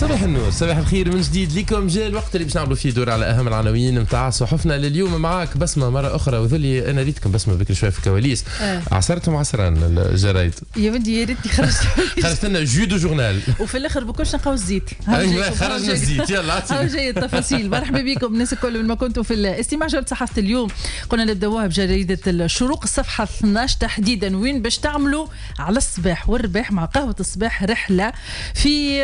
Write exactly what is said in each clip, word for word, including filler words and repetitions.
صباح النور، صباح الخير من جديد لكم. جاء الوقت اللي باش نعملوا فيه دور على اهم العناوين نتاع صحفنا لليوم. معاك بسمه مرة اخرى، وذلي انا ريتكم بسمه بكري شوية في الكواليس. آه. عصرتهم عصران الجرايد. يا ودي يا ريتني خرجت. خرجت لنا jus de journal. وفي الاخر بكلش نلقاو الزيت. ايوه خرجنا الزيت، يلا عطينا. جاي التفاصيل. مرحبا بكم الناس الكل من ما كنتوا في الاستماع. جولة صحافة اليوم قلنا نبداوها بجريدة الشروق الصفحة اثناش تحديدا، وين باش تعملوا على الصباح والرباح مع قهوة الصباح رحله في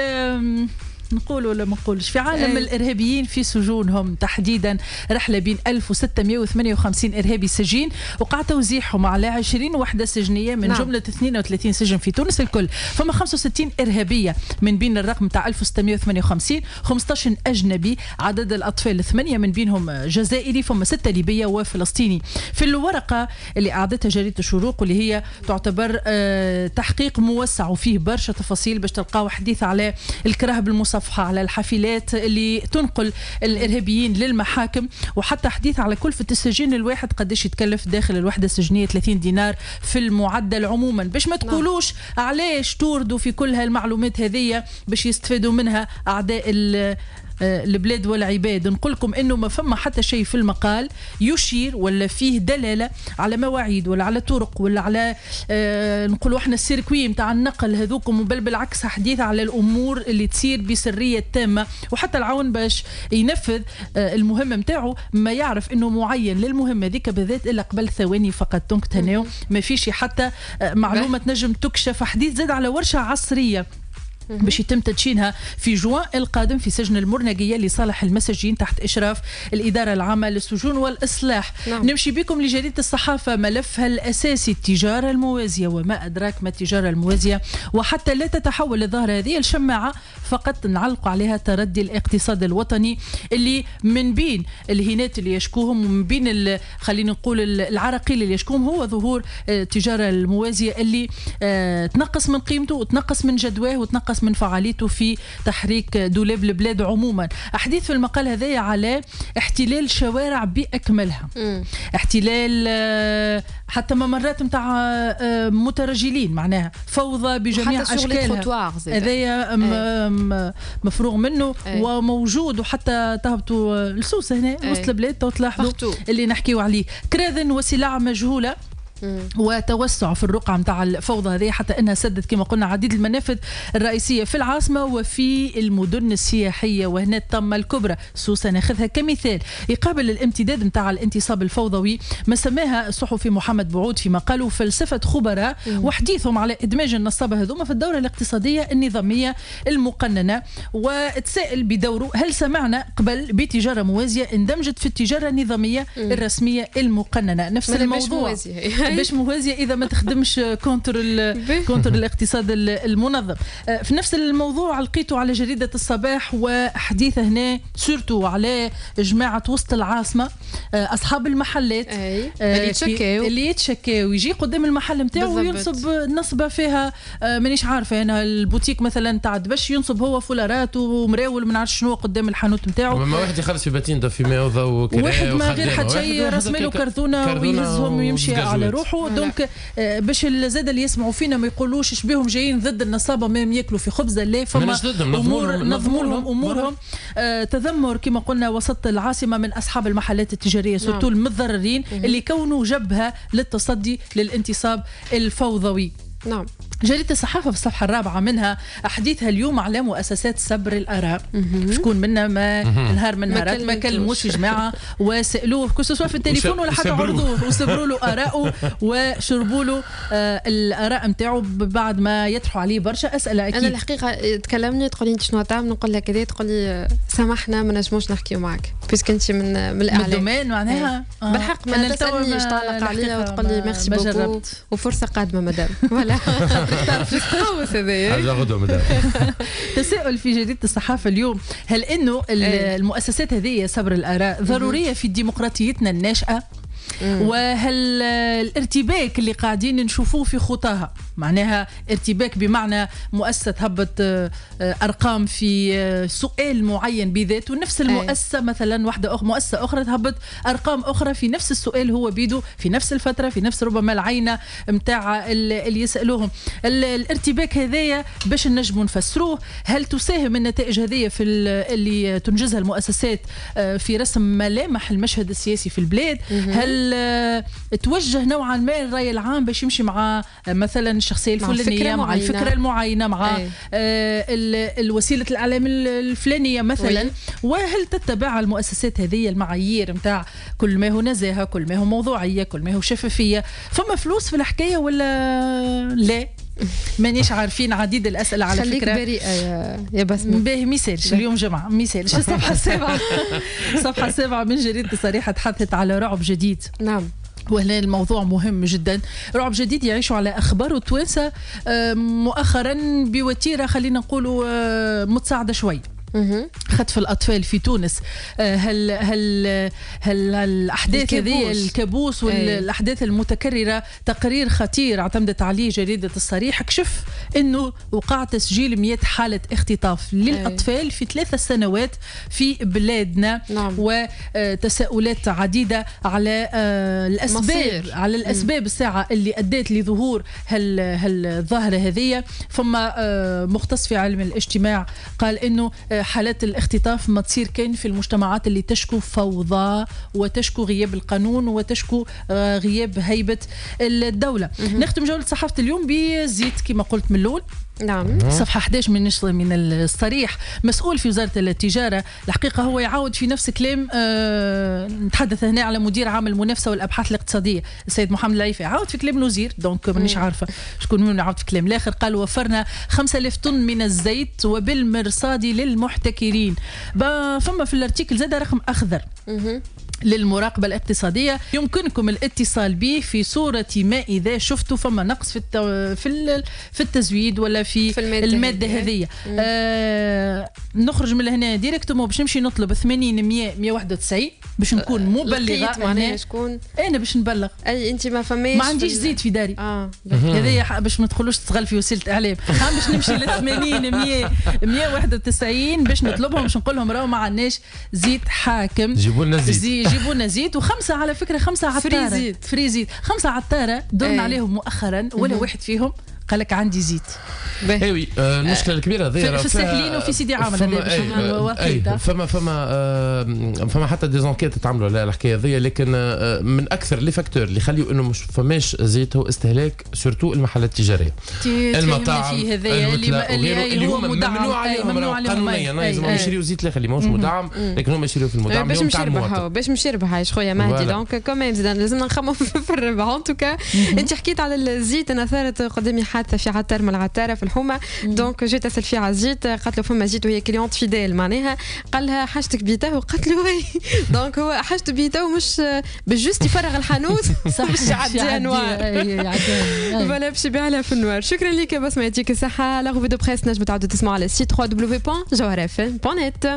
نقول ولا ما نقولش في عالم ايه. الارهابيين في سجونهم تحديدا. رحله بين ألف وستمائة وثمانية وخمسين ارهابي سجين وقع توزيعهم على عشرين وحده سجنيه من نعم. جملة اثنين وثلاثين سجن في تونس الكل. فما خمسة وستين ارهابية من بين الرقم تاع ألف وستمائة وثمانية وخمسين، خمسطاش اجنبي، عدد الاطفال ثمانية من بينهم جزائري، فما ستة ليبية وفلسطيني. في الورقة اللي اعدتها جريدة الشروق واللي هي تعتبر تحقيق موسع وفيه برشا تفاصيل باش تلقاو حديث على الكراهب المصفحه، على الحافلات اللي تنقل الارهابيين للمحاكم، وحتى حديث على كلفه السجين الواحد قداش يتكلف داخل الوحدة السجنيه، ثلاثين دينار في المعدل عموما. باش ما تقولوش علاش توردوا في كل هالمعلومات هذه باش يستفادوا منها اعداء البلاد والعباد، نقول لكم انه ما فما حتى شيء في المقال يشير ولا فيه دلالة على مواعيد ولا على طرق ولا على آه نقولوا احنا ال circuit نتاع النقل هذوكم، بل بالعكس حديث على الامور اللي تصير بسريه تامة. وحتى العون باش ينفذ آه المهمة نتاعو ما يعرف انه معين للمهمه ذيك بالذات الا قبل ثواني فقط. donc تهناو ما فيش حتى آه معلومة تنجم تكشف. حديث زاد على ورشه عصرية باش يتم تدشينها في جوان القادم في سجن المرنقية لصالح المساجين تحت إشراف الإدارة العامة للسجون والإصلاح. نعم. نمشي بكم لجريدة الصحافة، ملفها الأساسي التجارة الموازية وما أدراك ما التجارة الموازية، وحتى لا تتحول الظاهرة هذه الشماعة فقط نعلق عليها تردي الاقتصاد الوطني اللي من بين الهينات اللي يشكوهم ومن بين خلينا نقول العراقيل اللي يشكوهم هو ظهور التجارة الموازية اللي تنقص من قيمته وتنقص من جدواه وتنقص من فعاليته في تحريك دولاب البلاد عموما. أحاديث في المقال هذايا على احتلال شوارع بأكملها. مم. احتلال حتى ممرات نتاع مترجلين، معناها فوضى بجميع أشكالها، هذايا مفروغ منه. أي. وموجود، وحتى تهبطوا لسوسة هنا وسط البلاد تلاحظوا اللي نحكيو عليه. كراذن وسلع مجهولة وتوسع في الرقعة متاع الفوضى هذه حتى أنها سدت كما قلنا عديد المنافذ الرئيسية في العاصمة وفي المدن السياحية. وهنا الطمة الكبرى سوسة ناخذها كمثال يقابل الامتداد متاع الانتصاب الفوضوي ما سماها الصحفي محمد بعود في مقاله فلسفة خبراء، وحديثهم على إدماج النصابة هذوما في الدورة الاقتصادية النظامية المقننة. وتسائل بدوره هل سمعنا قبل بتجارة موازية اندمجت في التجارة النظامية الرسمية المقننة؟ نفس الموضوع باش موازية إذا ما تخدمش contre contre الاقتصاد المنظم. في نفس الموضوع لقيته على جريدة الصباح، وحديث هنا surtout على جماعة وسط العاصمة أصحاب المحلات. أي. اللي يتشكاو اللي يتشكاو يجي قدام المحل نتاعو وينصب نصبة فيها مانيش عارفة أنا البوتيك مثلا تاع دبش ينصب هو فولارات ومراول ما نعرفش شنو قدام الحانوت نتاعو. ما واحد يخلص في باتين في ماء وضوء واحد ما غير حتى شيء راس ماله كرتونة ويهزهم ويمشي على روحه. donc باش زاد اللي يسمعوا فينا ما يقولوش شبيهم جايين ضد النصابه ما ياكلوا في خبزه، لا فما امور نظموا لهم امورهم. آه تذمر كما قلنا وسط العاصمة من اصحاب المحلات التجارية surtout المتضررين اللي كونوا جبهة للتصدي للانتصاب الفوضوي. نعم. جريدة الصحافة في الصفحة الرابعة منها حديثها اليوم على مؤسسات سبر الآراء. شكون منا ما نهار من نهارات ما كلموش جماعة وسألوه que ce soit في التليفون ولا حتى عرضوه وسبروا له آراءه وشربوا له آه الآراء نتاعو بعد ما يطرحوا عليه برشا أسئلة. أكيد أنا الحقيقة تكلمني تقول لي أنت شنو تعمل، نقول لك كذا، تقول لي سامحنا ما نجموش نحكيو معك puisque أنت من من الإعلام من ال domaine معناها. آه. بالحق ما تسألنيش تعلق عليا وتقول لي merci beaucoup وفرصة قادمة مدام. voilà تعرف هذايا غدوه مدام. تساؤل في جريدة الصحافة اليوم هل انه المؤسسات هذه سبر الاراء ضرورية في ديمقراطيتنا الناشئة؟ وهل الارتباك اللي قاعدين نشوفوه في خطاها، معناها ارتباك بمعنى مؤسسة تهبط آه، ارقام في آه، سؤال معين بذاته، نفس المؤسسة مثلا واحدة أخرى، مؤسسة اخرى تهبط ارقام اخرى في نفس السؤال هو بيدو، في نفس الفتره، في نفس ربما العينة نتاع اللي يسالوهم. الارتباك هذايا باش نجموا نفسروه، هل تساهم النتائج هذه في اللي تنجزها المؤسسات آه، في رسم ملامح المشهد السياسي في البلاد؟ هل توجه نوعا ما الراي العام باش يمشي مع مثلا الشخصية الفلانية، مع الفكرة المعينه، مع آه الوسيلة الاعلام الفلانية مثلا؟ وهل تتبع المؤسسات هذه المعايير نتاع كل ما هو نزاهه، كل ما هو موضوعيه، كل ما هو شفافيه؟ فما فلوس في الحكاية ولا لا؟ مانيش عارفين. عديد الاسئلة على خليك فكره. بريئة يا يا بسمه. باهي، ميسالش، اليوم جمعه، ميسالش. الصفحة السابعه، الصفحة السابعة من جريدة الصريحة تحدثت على رعب جديد. نعم وهنا الموضوع مهم جدا، رعب جديد يعيش على اخبار التوانسة آه، مؤخرا بوتيره خلينا نقولوا آه، متصاعده شوي. خطف الاطفال في تونس، آه، هل هل هل الاحداث هذه، الكابوس والاحداث المتكرره. تقرير خطير اعتمدت عليه جريدة الصريح كشف انه وقع تسجيل مئة حاله اختطاف للاطفال في ثلاث سنوات في بلادنا. نعم. وتساؤلات عديدة على آه، الاسباب مصير. على الاسباب الساعة اللي ادت لظهور هال هالظاهره هذه. فما آه، مختص في علم الاجتماع قال انه حالات الاختطاف ما تصير كان في المجتمعات اللي تشكو فوضى وتشكو غياب القانون وتشكو آه، غياب هيبة الدولة. نختم جولة صحافة اليوم بزيت كما قلت من الأول. نعم. صفحة إحدى عشر من من الصريح، مسؤول في وزارة التجارة الحقيقة هو يعاود في نفس كلام، آه نتحدث هنا على مدير عام المنافسة والأبحاث الاقتصادية السيد محمد العيفي، عاود في كلام الوزير، donc مانيش عارفة شكون من عاود في كلام الآخر. قال وفرنا خمسة آلاف طن من الزيت وبالمرصاد للمحتكرين. فما في ال article زاد رقم أخضر للمراقبة الاقتصادية يمكنكم الاتصال به في صورة ما إذا شفتوا فما نقص في التو... في في التزويد ولا في, في المادة, المادة هذه. آه نخرج من هنا directement باش نمشي نطلب ثمانين مية مية وواحد وتسعين باش نكون مبلغة. معناها شكون؟ أنا باش نبلغ. أي أنت ما فماش، ما عنديش زيت في داري. اه هذايا باش ما تدخلوش تستغل في وسيلة إعلام، باش نمشي ل ثمانين مية مية وواحد وتسعين باش نطلبهم، باش نقول لهم راهو ما عندناش زيت حاكم، جيبوا لنا زيت، جيبوا لنا زيت. وخمسة على فكرة، خمسة عطاره free زيت، free زيت، خمسة عطاره درنا عليهم مؤخرا ولا واحد فيهم قال لك عندي زيت. اي oui، المشكلة الكبيرة هذه في الساحلين وفي سيدي عامر. فما فما فما فما حتى des enquêtes تعملوا على الحكاية هذه، لكن من اكثر les facteurs اللي يخليوا انه مش فماش زيت هو استهلاك surtout المحلات التجاريه، المطاعم اللي اللي, اللي هو ممنوع عليهم قانونيا لازم يشريوا زيت الاخر اللي ماهوش مدعم، لكن هم يشريوا في المدعم. باش مش يربحوا، باش مش يربح عايش خويا مهدي، donc quand même لازمنا نخمم في الربح. en tout cas انت حكيت على الزيت، انا صارت قدامي حادثه في عطار من العطاره في الحومه، donc جيت اسال فيه على الزيت، قالت له فما زيت، وهي cliente fidèle معناها، قال لها حاجتك بيته، وقالت له oui. donc هو حاجته بيته مش باش juste يفرغ الحانوت باش يعديها noir، voilà باش يبيع لها في ال noir. شكرا لك بسمة، يعطيك الصحة. la revue de presse نجم تعاودوا تسمعوا على site دبليو دبليو دبليو دوت جوهرة اف ام دوت نت.